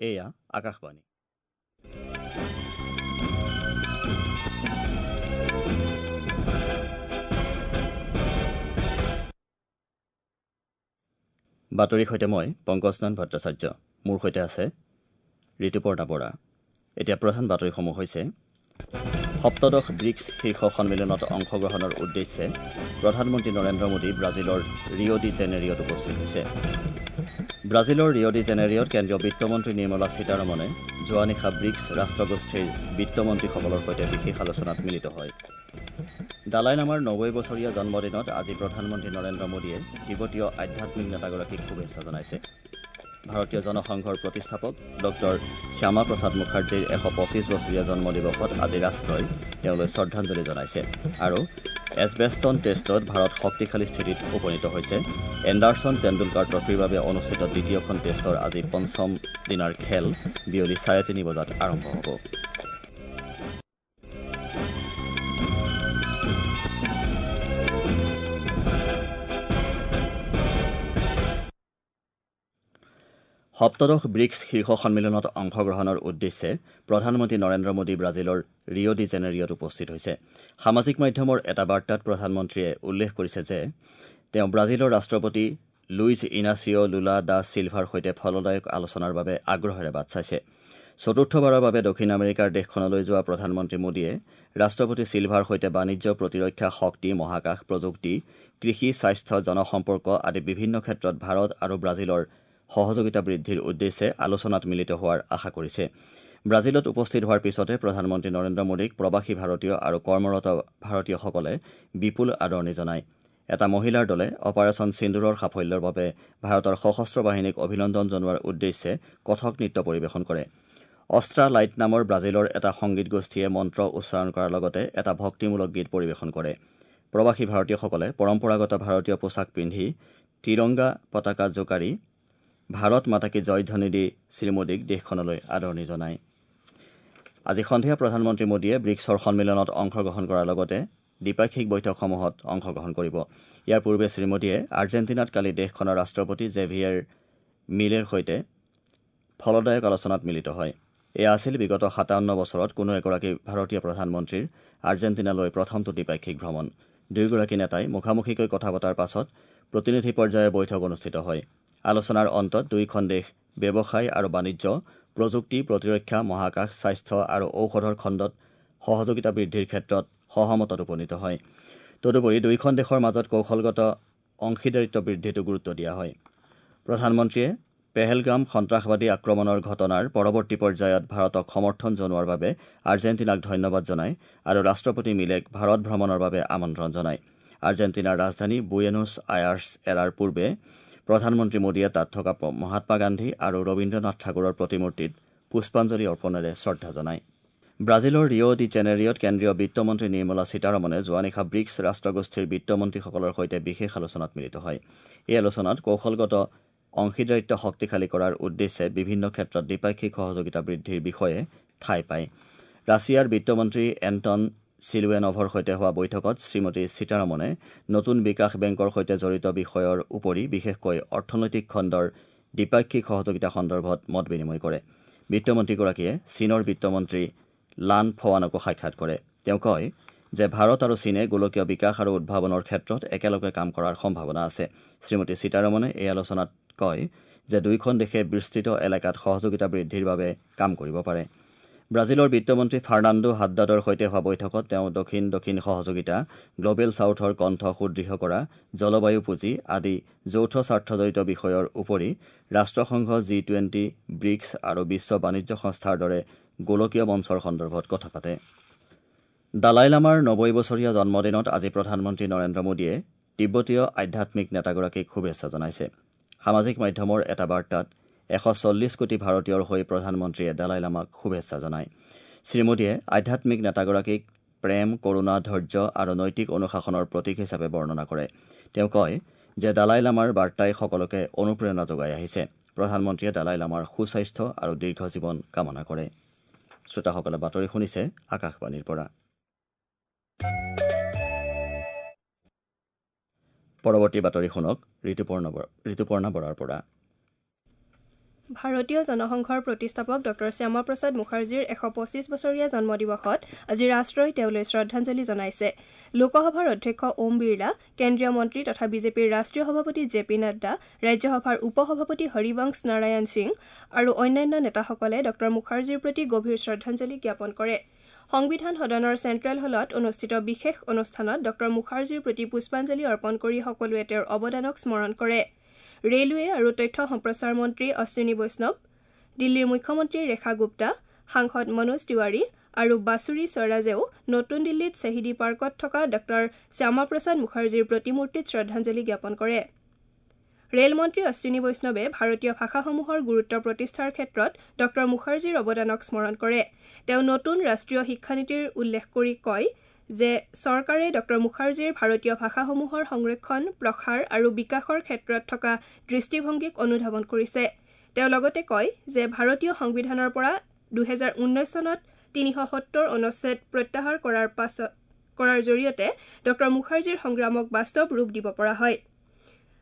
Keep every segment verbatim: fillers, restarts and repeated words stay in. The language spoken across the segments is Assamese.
এয়া আকাশবাণী। বাতৰিৰ সৈতে মই পংকজনাথ ভট্টাচাৰ্য, মোৰ সৈতে আছে ঋতুপৰ্ণা বৰা। এতিয়া প্ৰধান বাতৰিসমূহ হৈছে: সপ্তদশ ব্ৰিক্স শীৰ্ষ সন্মিলনত অংশগ্ৰহণৰ উদ্দেশ্যে প্ৰধানমন্ত্ৰী নৰেন্দ্ৰ মোদী ব্ৰাজিলৰ ৰিঅ' ডি জেনেৰিঅ'ত উপস্থিত হৈছে। ব্ৰাজিলৰ ৰিঅ' ডি জেনেৰিঅ'ত কেন্দ্ৰীয় বিত্তমন্ত্ৰী নিৰ্মলা সীতাৰমণে যোৱা নিশা ব্ৰিক্স ৰাষ্ট্ৰগোষ্ঠীৰ বিত্তমন্ত্ৰীসকলৰ সৈতে বিশেষ আলোচনাত মিলিত হয়। দালাই লামাৰ নব্বৈ বছৰীয়া জন্মদিনত আজি প্ৰধানমন্ত্ৰী নৰেন্দ্ৰ মোদীয়ে তিব্বতীয় আধ্যাত্মিক নেতাগৰাকীক শুভেচ্ছা জনাইছে। ভাৰতীয় জনসংঘৰ প্ৰতিষ্ঠাপক ডক্টৰ শ্যামা প্ৰসাদ মুখাৰ্জীৰ এশ পঁচিছ বছৰীয়া জন্মদিৱসত আজি ৰাষ্ট্ৰই তেওঁলৈ শ্ৰদ্ধাঞ্জলি জনাইছে। আৰু এছবেষ্টন টেষ্টত ভাৰত শক্তিশালী স্থিতিত উপনীত হৈছে। এণ্ডাৰছন টেণ্ডুলকাৰ ট্ৰফীৰ বাবে অনুষ্ঠিত দ্বিতীয়খন টেষ্টৰ আজি পঞ্চম দিনাৰ খেল বিয়লি চাৰে তিনি বজাত আৰম্ভ হ'ব। সপ্তদশ ব্ৰিক্স শীৰ্ষ সন্মিলনত অংশগ্ৰহণৰ উদ্দেশ্যে প্ৰধানমন্ত্ৰী নৰেন্দ্ৰ মোদী ব্ৰাজিলৰ ৰিঅ' ডি জেনেৰিঅ'ত উপস্থিত হৈছে। সামাজিক মাধ্যমৰ এটা বাৰ্তাত প্ৰধানমন্ত্ৰীয়ে উল্লেখ কৰিছে যে তেওঁ ব্ৰাজিলৰ ৰাষ্ট্ৰপতি লুইজ ইনাচিঅ' লুলা দা চিলভাৰ সৈতে ফলদায়ক আলোচনাৰ বাবে আগ্ৰহেৰে বাট চাইছে। চতুৰ্থবাৰৰ বাবে দক্ষিণ আমেৰিকাৰ দেশখনলৈ যোৱা প্ৰধানমন্ত্ৰী মোদীয়ে ৰাষ্ট্ৰপতি চিলভাৰ সৈতে বাণিজ্য, প্ৰতিৰক্ষা, শক্তি, মহাকাশ, প্ৰযুক্তি, কৃষি, স্বাস্থ্য, জনসম্পৰ্ক আদি বিভিন্ন ক্ষেত্ৰত ভাৰত আৰু ব্ৰাজিলৰ সহযোগিতা বৃদ্ধিৰ উদ্দেশ্যে আলোচনাত মিলিত হোৱাৰ আশা কৰিছে। ব্ৰাজিলত উপস্থিত হোৱাৰ পিছতে প্ৰধানমন্ত্ৰী নৰেন্দ্ৰ মোদীক প্ৰৱাসী ভাৰতীয় আৰু কৰ্মৰত ভাৰতীয়সকলে বিপুল আদৰণি জনায়। এটা মহিলাৰ দলে অপাৰেচন সিন্দুৰৰ সাফল্যৰ বাবে ভাৰতৰ সশস্ত্ৰ বাহিনীক অভিনন্দন জনোৱাৰ উদ্দেশ্যে কথক নৃত্য পৰিৱেশন কৰে। অষ্ট্ৰা লাইট নামৰ ব্ৰাজিলৰ এটা সংগীত গোষ্ঠীয়ে মন্ত্ৰ উচ্চাৰণ কৰাৰ লগতে এটা ভক্তিমূলক গীত পৰিৱেশন কৰে। প্ৰৱাসী ভাৰতীয়সকলে পৰম্পৰাগত ভাৰতীয় পোছাক পিন্ধি তিৰংগা পতাকা জোকাৰি ভাৰত মাতাকী জয়ধ্বনি দি শ্ৰীমোদীক দেশখনলৈ আদৰণি জনায়। আজি সন্ধিয়া প্ৰধানমন্ত্ৰী মোদীয়ে ব্ৰিক্সৰ সন্মিলনত অংশগ্ৰহণ কৰাৰ লগতে দ্বিপাক্ষিক বৈঠকসমূহত অংশগ্ৰহণ কৰিব। ইয়াৰ পূৰ্বে শ্ৰীমোদীয়ে আৰ্জেণ্টিনাত কালি দেশখনৰ ৰাষ্ট্ৰপতি জেভিয়েৰ মিলেৰ সৈতে ফলদায়ক আলোচনাত মিলিত হয়। এয়া আছিল বিগত সাতাৱন্ন বছৰত কোনো এগৰাকী ভাৰতীয় প্ৰধানমন্ত্ৰীৰ আৰ্জেণ্টিনালৈ প্ৰথমটো দ্বিপাক্ষিক ভ্ৰমণ। দুয়োগৰাকী নেতাই মুখামুখিকৈ কথা পতাৰ পাছত প্ৰতিনিধি পৰ্যায়ৰ বৈঠক অনুষ্ঠিত হয়। আলোচনাৰ অন্তত দুয়োখন দেশ ব্যৱসায় আৰু বাণিজ্য, প্ৰযুক্তি, প্ৰতিৰক্ষা, মহাকাশ, স্বাস্থ্য আৰু ঔষধৰ খণ্ডত সহযোগিতা বৃদ্ধিৰ ক্ষেত্ৰত সহমতত উপনীত হয়। তদুপৰি দুয়োখন দেশৰ মাজত কৌশলগত অংশীদাৰিত্ব বৃদ্ধিতো গুৰুত্ব দিয়া হয়। প্ৰধানমন্ত্ৰীয়ে পেহেলগাম সন্ত্ৰাসবাদী আক্ৰমণৰ ঘটনাৰ পৰৱৰ্তী পৰ্যায়ত ভাৰতক সমৰ্থন জনোৱাৰ বাবে আৰ্জেণ্টিনাক ধন্যবাদ জনায় আৰু ৰাষ্ট্ৰপতি মিলেক ভাৰত ভ্ৰমণৰ বাবে আমন্ত্ৰণ জনায়। আৰ্জেণ্টিনাৰ ৰাজধানী বুয়েনোছ আয়াৰ্ছ এৰাৰ পূৰ্বে প্ৰধানমন্ত্ৰী মোদীয়ে তাত থকা মহাত্মা গান্ধী আৰু ৰবীন্দ্ৰনাথ ঠাকুৰৰ প্ৰতিমূৰ্তিত পুষ্পাঞ্জলি অৰ্পণেৰে শ্ৰদ্ধা জনায়। ব্ৰাজিলৰ ৰিঅ' ডি জেনেৰিঅ'ত কেন্দ্ৰীয় বিত্তমন্ত্ৰী নিৰ্মলা সীতাৰমণে যোৱা নিশা ব্ৰিক্স ৰাষ্ট্ৰগোষ্ঠীৰ বিত্তমন্ত্ৰীসকলৰ সৈতে বিশেষ আলোচনাত মিলিত হয়। এই আলোচনাত কৌশলগত অংশীদাৰিত্ব শক্তিশালী কৰাৰ উদ্দেশ্যে বিভিন্ন ক্ষেত্ৰত দ্বিপাক্ষিক সহযোগিতা বৃদ্ধিৰ বিষয়ে ঠাই পায়। ৰাছিয়াৰ বিত্তমন্ত্ৰী এণ্টন চিলুৱেনভৰ সৈতে হোৱা বৈঠকত শ্ৰীমতী সীতাৰমণে নতুন বিকাশ বেংকৰ সৈতে জড়িত বিষয়ৰ উপৰি বিশেষকৈ অৰ্থনৈতিক খণ্ডৰ দ্বিপাক্ষিক সহযোগিতা সন্দৰ্ভত মত বিনিময় কৰে। বিত্তমন্ত্ৰীগৰাকীয়ে চীনৰ বিত্তমন্ত্ৰী লান ফৱানকো সাক্ষাৎ কৰে। তেওঁ কয় যে ভাৰত আৰু চীনে গোলকীয় বিকাশ আৰু উদ্ভাৱনৰ ক্ষেত্ৰত একেলগে কাম কৰাৰ সম্ভাৱনা আছে। শ্ৰীমতী সীতাৰমণে এই আলোচনাত কয় যে দুয়োখন দেশে বিস্তৃত এলেকাত সহযোগিতা বৃদ্ধিৰ বাবে কাম কৰিব পাৰে। ব্ৰাজিলৰ বিত্তমন্ত্ৰী ফাৰ্ণাণ্ডো হাদ্দাদৰ সৈতে হোৱা বৈঠকত তেওঁ দক্ষিণ দক্ষিণ সহযোগিতা, গ্লবেল ছাউথৰ কণ্ঠ সুদৃঢ় কৰা, জলবায়ু পুঁজি আদি যৌথ স্বাৰ্থজড়িত বিষয়ৰ উপৰি ৰাষ্ট্ৰসংঘ, জি টুৱেণ্টি, ব্ৰিক্স আৰু বিশ্ব বাণিজ্য সংস্থাৰ দৰে গোলকীয় মঞ্চৰ সন্দৰ্ভত কথা পাতে। দালাই লামাৰ নব্বৈ বছৰীয়া জন্মদিনত আজি প্ৰধানমন্ত্ৰী নৰেন্দ্ৰ মোদীয়ে তিব্বতীয় আধ্যাত্মিক নেতাগৰাকীক শুভেচ্ছা জনাইছে। সামাজিক মাধ্যমৰ এটা বাৰ্তাত এশ চল্লিছ কোটি ভাৰতীয়ৰ হৈ প্ৰধানমন্ত্ৰীয়ে দালাই লামাক শুভেচ্ছা জনায়। শ্ৰীমোদীয়ে আধ্যাত্মিক নেতাগৰাকীক প্ৰেম, কৰুণা, ধৈৰ্য আৰু নৈতিক অনুশাসনৰ প্ৰতীক হিচাপে বৰ্ণনা কৰে। তেওঁ কয় যে দালাই লামাৰ বাৰ্তাই সকলোকে অনুপ্ৰেৰণা যোগাই আহিছে। প্ৰধানমন্ত্ৰীয়ে দালাই লামাৰ সুস্বাস্থ্য আৰু দীৰ্ঘ জীৱন কামনা কৰে। শ্ৰোতাসকলে বাতৰি শুনিছে আকাশবাণীৰ পৰা। পৰৱৰ্তী বাতৰি শুনক ঋতুপৰ্ণা ঋতুপৰ্ণা বৰাৰ পৰা। ভাৰতীয় জনসংঘৰ প্ৰতিষ্ঠাপক ডক্টৰ শ্যামাপ্ৰসাদ মুখাৰ্জীৰ এশ পঁচিছ বছৰীয়া জন্মদিৱসত আজি ৰাষ্ট্ৰই তেওঁলৈ শ্ৰদ্ধাঞ্জলি জনাইছে। লোকসভাৰ অধ্যক্ষ ওম বিৰলা, কেন্দ্ৰীয় মন্ত্ৰী তথা বিজেপিৰ ৰাষ্ট্ৰীয় সভাপতি জে পি নাড্ডা, ৰাজ্যসভাৰ উপ সভাপতি হৰিবংশ নাৰায়ণ সিং আৰু অন্যান্য নেতাসকলে ডক্টৰ মুখাৰ্জীৰ প্ৰতি গভীৰ শ্ৰদ্ধাঞ্জলি জ্ঞাপন কৰে। সংবিধান সদনৰ চেণ্ট্ৰেল হলত অনুষ্ঠিত বিশেষ অনুষ্ঠানত ডক্টৰ মুখাৰ্জীৰ প্ৰতি পুষ্পাঞ্জলি অৰ্পণ কৰি সকলোৱে তেওঁৰ অৱদানক স্মৰণ কৰে। ৰেলৱে আৰু তথ্য সম্প্ৰচাৰ মন্ত্ৰী অশ্বিনী বৈষ্ণৱ, দিল্লীৰ মুখ্যমন্ত্ৰী ৰেখা গুপ্তা, সাংসদ মনোজ তিৱাৰী আৰু বাছুৰী স্বৰাজেও নতুন দিল্লীত শ্বহীদী পাৰ্কত থকা ডক্টৰ শ্যামাপ্ৰসাদ মুখাৰ্জীৰ প্ৰতিমূৰ্তিত শ্ৰদ্ধাঞ্জলি জ্ঞাপন কৰে। ৰেল মন্ত্ৰী অশ্বিনী বৈষ্ণৱে ভাৰতীয় ভাষাসমূহৰ গুৰুত্ব প্ৰতিষ্ঠাৰ ক্ষেত্ৰত ডক্টৰ মুখাৰ্জীৰ অৱদানক স্মৰণ কৰে। তেওঁ নতুন ৰাষ্ট্ৰীয় শিক্ষানীতিৰ উল্লেখ কৰি কয় যে চৰকাৰে ডক্টৰ মুখাৰ্জীৰ ভাৰতীয় ভাষাসমূহৰ সংৰক্ষণ, প্ৰসাৰ আৰু বিকাশৰ ক্ষেত্ৰত থকা দৃষ্টিভংগীক অনুধাৱন কৰিছে। তেওঁ লগতে কয় যে ভাৰতীয় সংবিধানৰ পৰা দুহেজাৰ ঊনৈছ চনত তিনিশ সত্তৰ অনুচ্ছেদ প্ৰত্যাহাৰ কৰাৰ পাছত কৰাৰ জৰিয়তে ডক্টৰ মুখাৰ্জীৰ সংগ্ৰামক বাস্তৱ ৰূপ দিব পৰা হয়।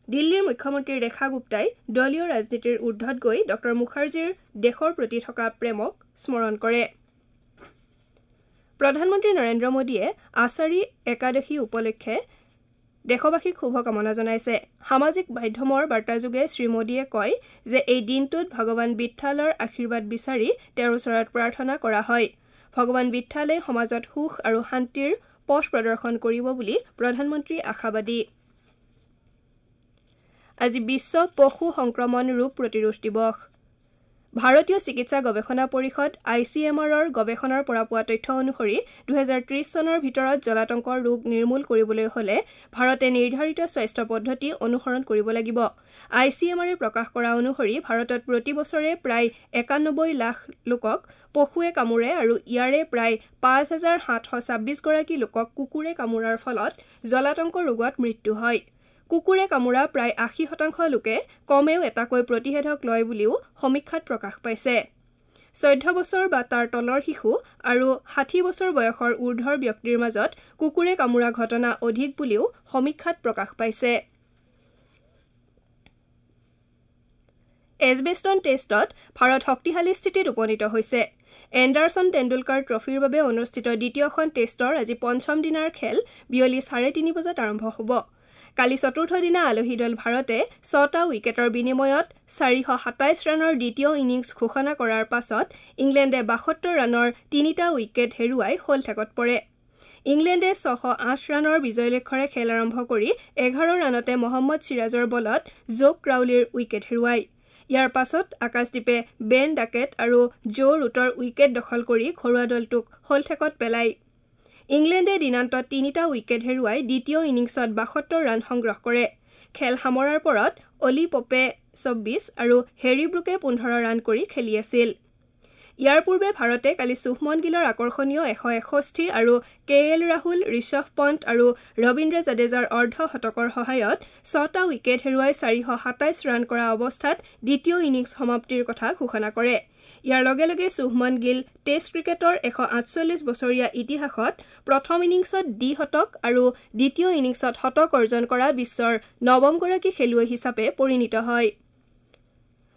দিল্লীৰ মুখ্যমন্ত্ৰী ৰেখা গুপ্তাই দলীয় ৰাজনীতিৰ ঊৰ্ধত গৈ ডক্টৰ মুখাৰ্জীৰ দেশৰ প্ৰতি থকা প্ৰেমক স্মৰণ কৰে। প্ৰধানমন্ত্ৰী নৰেন্দ্ৰ মোদীয়ে আষাঢ়ি একাদশী উপলক্ষে দেশবাসীক শুভকামনা জনাইছে। সামাজিক মাধ্যমৰ বাৰ্তাযোগে শ্ৰীমোদীয়ে কয় যে এই দিনটোত ভগৱান বিত্থালৰ আশীৰ্বাদ বিচাৰি তেওঁৰ ওচৰত প্ৰাৰ্থনা কৰা হয়। ভগৱান বিত্থালে সমাজত সুখ আৰু শান্তিৰ পথ প্ৰদৰ্শন কৰিব বুলি প্ৰধানমন্ত্ৰী আশাবাদী। আজি বিশ্ব পশু সংক্ৰমণ ৰোগ প্ৰতিৰোধ দিৱস। ভাৰতীয় চিকিৎসা গৱেষণা পৰিষদ I C M আৰৰ গৱেষণাৰ পৰা পোৱা তথ্য অনুসৰি দুহেজাৰ ত্ৰিছ চনৰ ভিতৰত জলাতংকৰ ৰোগ নিৰ্মূল কৰিবলৈ হ'লে ভাৰতে নিৰ্ধাৰিত স্বাস্থ্য পদ্ধতি অনুসৰণ কৰিব লাগিব। I C M আৰে প্ৰকাশ কৰা অনুসৰি ভাৰতত প্ৰতি বছৰে প্ৰায় একানব্বৈ লাখ লোকক পশুৱে কামোৰে আৰু ইয়াৰে প্ৰায় পাঁচ হাজাৰ সাতশ ছাব্বিছগৰাকী লোকক কুকুৰে কামোৰাৰ ফলত জলাতংক ৰোগত মৃত্যু হয়। কুকুৰে কামোৰা প্ৰায় আশী শতাংশ লোকে কমেও এটাকৈ প্ৰতিষেধক লয় বুলিও সমীক্ষাত প্ৰকাশ পাইছে। চৈধ্য বছৰ বা তাৰ তলৰ শিশু আৰু ষাঠি বছৰ বয়সৰ ঊৰ্ধৰ ব্যক্তিৰ মাজত কুকুৰে কামোৰা ঘটনা অধিক বুলিও সমীক্ষাত প্ৰকাশ পাইছে। এজবেষ্টন টেষ্টত ভাৰত শক্তিশালী স্থিতিত উপনীত হৈছে। এণ্ডাৰছন টেণ্ডুলকাৰ ট্ৰফীৰ বাবে অনুষ্ঠিত দ্বিতীয়খন টেষ্টৰ আজি পঞ্চম দিনাৰ খেল বিয়লি চাৰে তিনি বজাত আৰম্ভ হ'ব। কালি চতুৰ্থ দিনা আলহী দল ভাৰতে ছটা উইকেটৰ বিনিময়ত চাৰিশ সাতাইছ ৰানৰ দ্বিতীয় ইনিংছ ঘোষণা কৰাৰ পাছত ইংলেণ্ডে বাসত্তৰ ৰানৰ তিনিটা উইকেট হেৰুৱাই শ'লঠেকত পৰে। ইংলেণ্ডে ছশ আঠ ৰানৰ বিজয় লক্ষ্যৰে খেল আৰম্ভ কৰি এঘাৰ ৰানতে মহম্মদ চিৰাজৰ বলত জোক ক্ৰাউলিৰ উইকেট হেৰুৱায়। ইয়াৰ পাছত আকাশদ্বীপে বেন ডাকেট আৰু জো ৰুটৰ উইকেট দখল কৰি ঘৰুৱা দলটোক শ'লঠেকত পেলায়। ইংলেণ্ডে দিনান্তত তিনিটা উইকেট হেৰুৱাই দ্বিতীয় ইনিংছত বাসত্তৰ ৰান সংগ্ৰহ কৰে। খেল সামৰাৰ পৰত অলি পপে চৌব্বিছ আৰু হেৰী ব্ৰুকে পোন্ধৰ ৰান কৰি খেলি আছিল। ইয়াৰ পূৰ্বে ভাৰতে কালি শুভমন গিলৰ আকৰ্ষণীয় এশ এষষ্ঠি আৰু কে এল ৰাহুল, ঋষভ পণ্ট আৰু ৰবীন্দ্ৰ জাদেজাৰ অৰ্ধ শতকৰ সহায়ত ছটা উইকেট হেৰুৱাই চাৰিশ সাতাইছ ৰান কৰা অৱস্থাত দ্বিতীয় ইনিংছ সমাপ্তিৰ কথা ঘোষণা কৰে। ইয়াৰ লগে লগে শুভমন গিল টেষ্ট ক্ৰিকেটৰ এশ আঠচল্লিছ বছৰীয়া ইতিহাসত প্ৰথম ইনিংছত দ্বিশতক আৰু দ্বিতীয় ইনিংছত শতক অৰ্জন কৰা বিশ্বৰ নৱমগৰাকী খেলুৱৈ হিচাপে পৰিণত হয়।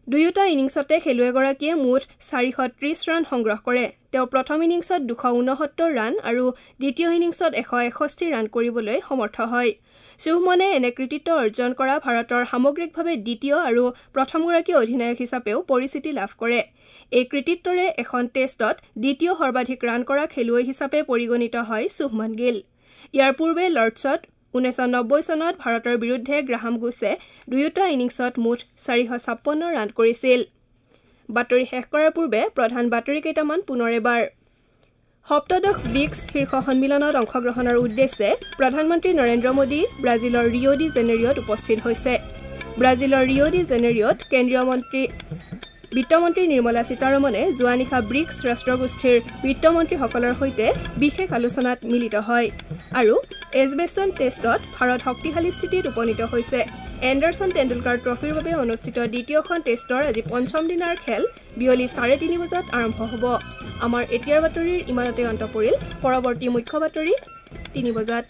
দুয়োটা ইনিংছতে খেলুৱৈগৰাকীয়ে মুঠ চাৰিশ ত্ৰিছ ৰান সংগ্ৰহ কৰে। তেওঁ প্ৰথম ইনিংছত দুশ ঊনসত্তৰ ৰান আৰু দ্বিতীয় ইনিংছত এশ এষষ্ঠি ৰান কৰিবলৈ সমৰ্থ হয়। শুভমনে এনে কৃতিত্ব অৰ্জন কৰা ভাৰতৰ সামগ্ৰিকভাৱে দ্বিতীয় আৰু প্ৰথমগৰাকী অধিনায়ক হিচাপেও পৰিচিতি লাভ কৰে। এই কৃতিত্বৰে এখন টেষ্টত দ্বিতীয় সৰ্বাধিক ৰান কৰা খেলুৱৈ হিচাপে পৰিগণিত হয় শুভমন গিল। ইয়াৰ পূৰ্বে লৰ্ডছত ঊনৈছশ নব্বৈ চনত ভাৰতৰ বিৰুদ্ধে গ্ৰাহাম গুছে দুয়োটা ইনিংছত মুঠ চাৰিশ ছাপন্ন ৰান কৰিছিল। বাতৰি শেষ কৰাৰ পূৰ্বে প্ৰধান বাতৰি কেইটামান পুনৰ এবাৰ। সপ্তদশ ব্ৰিক্স শীৰ্ষ সন্মিলনত অংশগ্ৰহণৰ উদ্দেশ্যে প্ৰধানমন্ত্ৰী নৰেন্দ্ৰ মোদী ব্ৰাজিলৰ ৰিঅ' ডি জেনেৰিঅ'ত উপস্থিত হৈছে। ব্ৰাজিলৰ ৰিঅ' ডি জেনেৰিঅ'ত কেন্দ্ৰীয় মন্ত্ৰী বিত্তমন্ত্ৰী নিৰ্মলা সীতাৰমণে যোৱা নিশা ব্ৰিক্স ৰাষ্ট্ৰগোষ্ঠীৰ বিত্তমন্ত্ৰীসকলৰ সৈতে বিশেষ আলোচনাত মিলিত হয় আৰু এজবেষ্টন টেষ্টত ভাৰত শক্তিশালী স্থিতিত উপনীত হৈছে। এণ্ডাৰছন টেণ্ডুলকাৰ ট্ৰফীৰ বাবে অনুষ্ঠিত দ্বিতীয়খন টেষ্টৰ আজি পঞ্চম দিনাৰ খেল বিয়লি চাৰে তিনি বজাত আৰম্ভ হ'ব। আমাৰ এতিয়াৰ বাতৰিৰ ইমানতে অন্ত পৰিল। পৰৱৰ্তী মুখ্য বাতৰি তিনি বজাত।